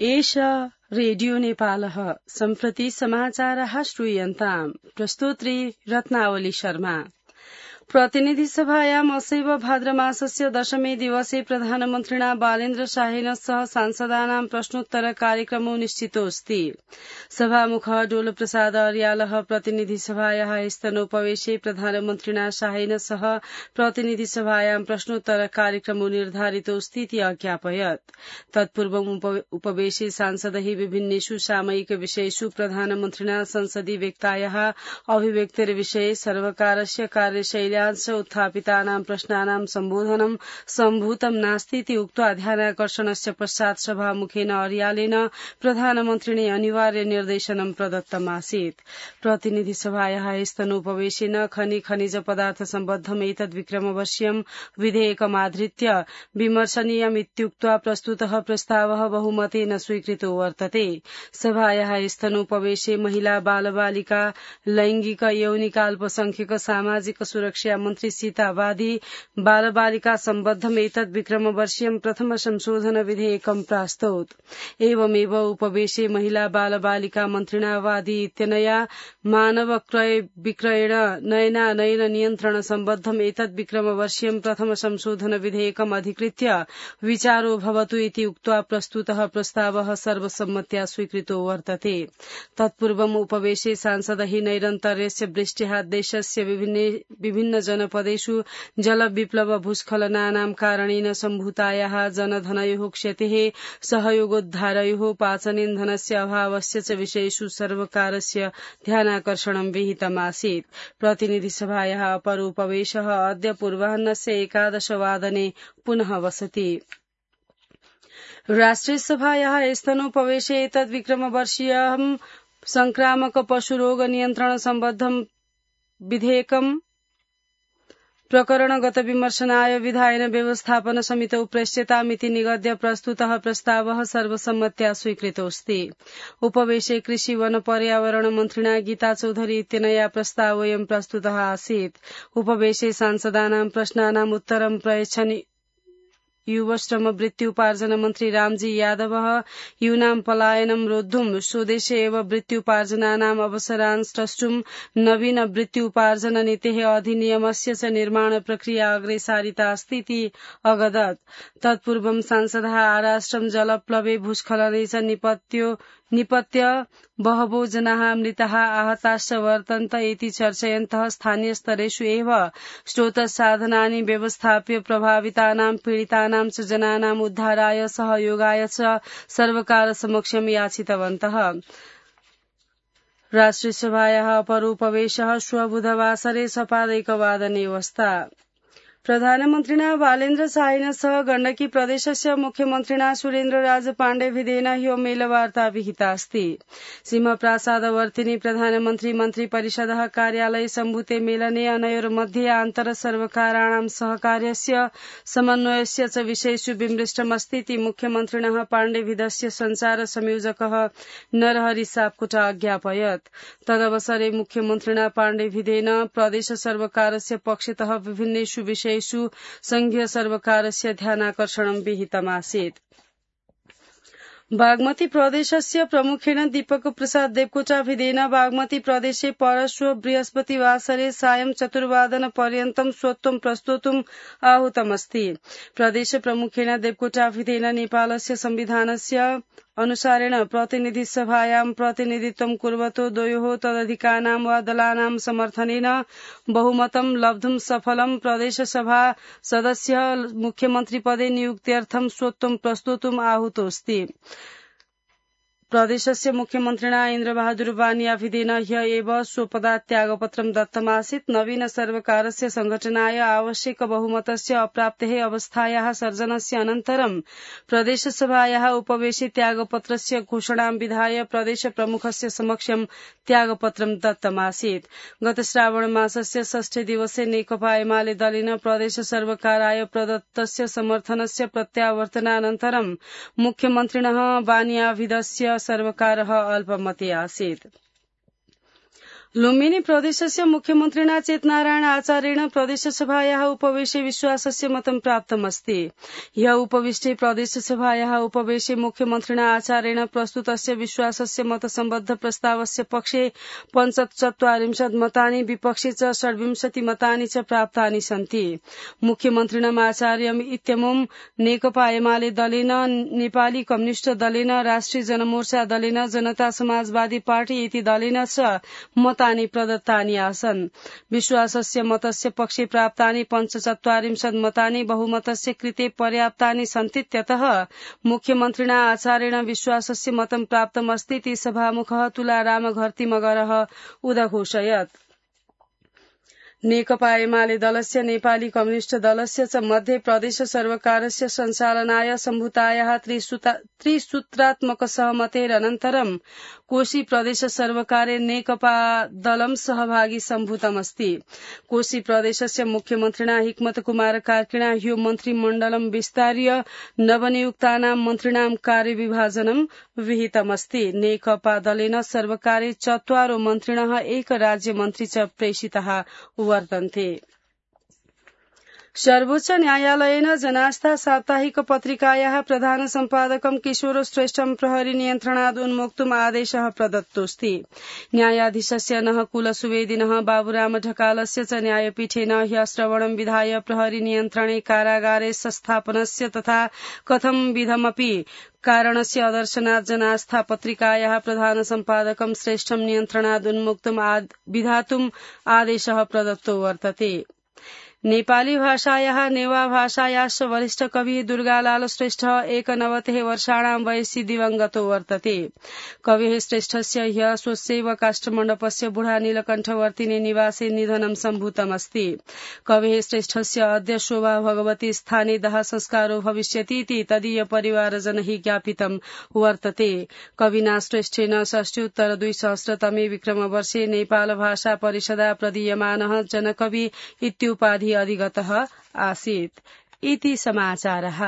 एष रेडियो नेपालः सम्प्रति समाचारः श्रूयन्ताम् प्रस्तोत्री रत्नावली शर्मा। प्रतिनिधि सभायाम् असैव भाद्रमासस्य दशमे दिवसे प्रधानमन्त्रिणा बालेन्द्र शाहेन सह सांसदानां प्रश्नोत्तर कार्यक्रमो निश्चितोऽस्ति। सभामुखः डोलप्रसाद अर्यालः प्रतिनिधि सभायाः स्तनोपवेशे प्रधानमन्त्रिणा शाहेन सह प्रतिनिधि सभायां प्रश्नोत्तर कार्यक्रमो निर्धारितोऽस्तीति अज्ञापयत्। तत्पूर्वम् उपवेशे सांसदैः विभिन्नेषु सामयिक विषयेषु प्रधानमन्त्रिणा संसदि व्यक्तायाः अभिव्यक्तिर्विषये सर्वकारस्य कार्यशैल्या उत्थापितानां प्रश्नानां सम्बोधनं सम्भूतं नास्तीति उक्त्वा ध्यानाकर्षणस्य पश्चात् सभामुखेन अर्यालेन प्रधानमन्त्रिणे अनिवार्य निर्देशनं प्रदत्तमासीत्। प्रतिनिधि सभायाः स्तनोपवेशेन खनिज पदार्थ सम्बद्धम् एतद्विक्रमवर्षीयं विधेयकमाधृत्य विमर्शनीयमित्युक्त्वा प्रस्तुतः प्रस्तावः बहुमतेन स्वीकृतो वर्तते। सभायाः स्तनोपवेशे महिला बालबालिका लैंगिक यौनिकाल्पसंख्यक सामाजिक सुरक्षा मन्त्री सीता वादी बालबालिका सम्बद्धम् एतद्विक्रमवर्षीयं प्रथम संशोधन विधेयकं प्रास्तौत्। एवमेव उपवेशे महिला बालबालिका मन्त्रिणा वादी इत्यनया मानव क्रय विक्रयण नयनानयन नियन्त्रण सम्बद्धम् एतद्विक्रमवर्षीयं प्रथम संशोधन विधेयकम् अधिकृत्य विचारो भवतु इति उक्त्वा प्रस्तुतः प्रस्तावः सर्वसम्मत्या स्वीकृतो वर्तते। तत्पूर्वम् उपवेशे सांसदैः नैरन्तर्यस्य वृष्ट्या देशस्य विभिन्न जनपदेषु जलविप्लव भूस्खलनानां कारणेन सम्भूतायाः जनधनयोः क्षतेः सहयोगोद्धारयोः पाचनेन्धनस्य अभावस्य च विषयेषु सर्वकारस्य ध्यानाकर्षणं विहितमासीत्। प्रतिनिधिसभायाः अपरोपवेशः अद्य पूर्वाह्नस्य 11 वादने पुनः वसति। राष्ट्रियसभायाः स्तनोपवेशे एतद्विक्रमवर्षीयं संक्रामक पशुरोग नियन्त्रण सम्बद्धं विधेयकम् प्रकरणगत विमर्शनाय विधायन व्यवस्थापन समितौ प्रेष्यतामिति निगद्य प्रस्तुतः प्रस्तावः सर्वसम्मत्या स्वीकृतोऽस्ति। उपवेशे कृषि वन पर्यावरण मन्त्रिणा गीता चौधरी इत्यनया प्रस्तावोऽयं प्रस्तुतः आसीत्। उपवेशे सांसदानां प्रश्नानाम् उत्तरं प्रयच्छन् युवश्रम वृत्त्युपार्जन मन्त्री रामजी यादवः यूनां पलायनं रोद्धुं स्वदेशे एव वृत्त्युपार्जनानाम् अवसरान् स्रष्टुं नवीन वृत्त्युपार्जन नीतेः अधिनियमस्य च निर्माण प्रक्रिया अग्रे सारितास्तीति अगदत्। तत्पूर्वं सांसदः आराष्ट्रं जलप्लवे भूस्खलने च निपत्य बहवो जनाः मृताः आहताश्च वर्तन्त इति चर्चयन्तः स्थानीयस्तरेषु एव स्रोतसाधनानि व्यवस्थाप्य प्रभावितानां पीडितानां च जनानाम् उद्धाराय सहयोगाय च सर्वकारसमक्षं याचितवन्तः। राष्ट्रियसभायाः अपरोपवेशः श्व बुधवासरे सपादैकवादने वस्ता। प्रधानमन्त्रिणा बालेन्द्र शाहेन सह गण्डकी प्रदेशस्य मुख्यमन्त्रिणा सुरेन्द्रराज पाण्डेभिदेन ह्यो मेलवार्ता विहितास्ति। सिंहप्रासादवर्तिनि प्रधानमन्त्री मन्त्रिपरिषदः कार्यालये सम्भूते मेलने अनयोर्मध्ये आन्तर सर्वकाराणां सहकार्यस्य समन्वयस्य च विषयेषु विमृष्टमस्तीति मुख्यमन्त्रिणः पाण्डेभिदस्य संचार संयोजकः नरहरि सापकोटा अज्ञापयत्। तदवसरे मुख्यमन्त्रिणा पाण्डेभिदेन प्रदेश सर्वकारस्य पक्षतः विभिन्नेषु विषयेषु संघीय सर्वकारस्य ध्यानाकर्षणं विहितमासीत्। बागमती प्रदेशस्य प्रमुखेन दीपक प्रसाद देवकोटाभिदेन बागमती प्रदेशे परश्व बृहस्पतिवासरे सायं 4 वादनपर्यन्तं स्वत्वं प्रस्तोतुम् आहूतमस्ति। प्रदेश प्रमुखेन देवकोटाभिदेन नेपालस्य संविधानस्य अनुसारेण प्रतिनिधि सभायां प्रतिनिधित्वं कुर्वतो द्वयोः तदधिकानां वा दलानां समर्थनेन बहुमतं लब्धुं सफलं प्रदेशसभा सदस्यः मुख्यमन्त्रिपदे नियुक्त्यर्थं स्वत्वं प्रस्तोतुम् आहूतोऽस्ति। प्रदेशस्य मुख्यमन्त्रिणा इन्द्रबहादुर बानियाभिदेन ह्य एव स्वपदात् त्यागपत्रं दत्तमासीत्। नवीन सर्वकारस्य संघटनाय आवश्यक बहुमतस्य अप्राप्तेः अवस्थायाः सर्जनस्य अनन्तरं प्रदेशसभायाः उपवेशे त्यागपत्रस्य घोषणां विधाय प्रदेश प्रमुखस्य समक्षं त्यागपत्रं दत्तमासीत्। गत श्रावण मासस्य 6 दिवसे नेकपा एमाले दलेन प्रदेश सर्वकाराय प्रदत्तस्य समर्थनस्य प्रत्यावर्तनानन्तरं मुख्यमन्त्रिणः बानियाभिदस्य सर्वकारः अल्पमते आसीत्। लुम्बिनी प्रदेशस्य मुख्यमन्त्रिणा चेतनारायण आचार्येण प्रदेशसभायाः उपवेशे विश्वासस्य मतं प्राप्तमस्ति। ह्यः उपविष्टे प्रदेशसभायाः उपवेशे मुख्यमन्त्रिणा आचार्येण प्रस्तुतस्य विश्वासस्य मतसम्बद्ध प्रस्तावस्य पक्षे 45 मतानि विपक्षे च 26 मतानि च प्राप्तानि सन्ति। मुख्यमन्त्रिणम् आचार्यम् इत्यमुम् नेकपा एमाले दलेन, नेपाली कम्युनिष्ट दलेन, राष्ट्रिय जनमोर्चा दलेन, जनता समाजवादी पार्टी इति दलेन च मतानि प्रदत्तानि आसन्। विश्वासस्य मतस्य पक्षे प्राप्तानि 45 मतानि बहुमतस्य कृते पर्याप्तानि सन्तीत्यतः मुख्यमन्त्रिणा आचार्येण विश्वासस्य मतं प्राप्तमस्तीति सभामुखः तुलाराम घर्तिमगरः उदघोषयत्। नेकपा एमाले दलस्य, नेपाली कम्युनिष्ट दलस्य च मध्ये प्रदेश सर्वकारस्य सञ्चालनाय सम्भूतायाः त्रिसूत्रात्मक सहमतेरनन्तरं कोशी प्रदेश सर्वकारे नेकपा दलं सहभागी सम्भूतमस्ति। कोशी प्रदेशस्य मुख्यमन्त्रिणा हिक्मत कुमार कार्कीणा ह्यो मन्त्रिमण्डलं विस्तार्य नवनियुक्तानां मन्त्रिणां कार्यविभाजनं विहितमस्ति। नेकपा दलेन सर्वकारे 4 मन्त्रिणः 1 राज्यमन्त्री च प्रेषिताः वर्तन्ते। सर्वोच्च न्यायालयेन जनास्था साप्ताहिक पत्रिकायाः प्रधान सम्पादकं किशोर श्रेष्ठं प्रहरी नियन्त्रणाद् उन्मोक्तुम् आदेशः प्रदत्तोऽस्ति। न्यायाधीशस्य नः कुलसुवेदिनः बाबुराम ढकालस्य च न्यायपीठेन ह्यः श्रवणं विधाय प्रहरी नियन्त्रणे कारागारे संस्थापनस्य तथा कथं विधमपि कारणस्य अदर्शनात् जनास्था पत्रिकायाः प्रधान सम्पादकं श्रेष्ठं नियन्त्रणाद् उन्मुक्तुम् विधातुम् आदेशः प्रदत्तो वर्तते। नेपाली भाषायाः नेवा भाषायाश्च वरिष्ठ कविः दुर्गालाल श्रेष्ठ 91 वर्षाणां वयसि दिवंगतो वर्तते। कविः श्रेष्ठस्य ह्यः स्वस्यैव काष्ठमण्डपस्य बुढा नीलकण्ठवर्तिनी निवासे निधनं सम्भूतमस्ति। कविः श्रेष्ठस्य अद्य शोभा भगवती स्थाने दाह संस्कारो भविष्यतीति तदीय परिवारजनैः ज्ञापितं वर्तते। कविना श्रेष्ठेन 62 विक्रमवर्षे नेपाल भाषा परिषदा प्रदीयमानः जनकवि इत्युपाधि अधिगतः आसीत्। इति समाचारः।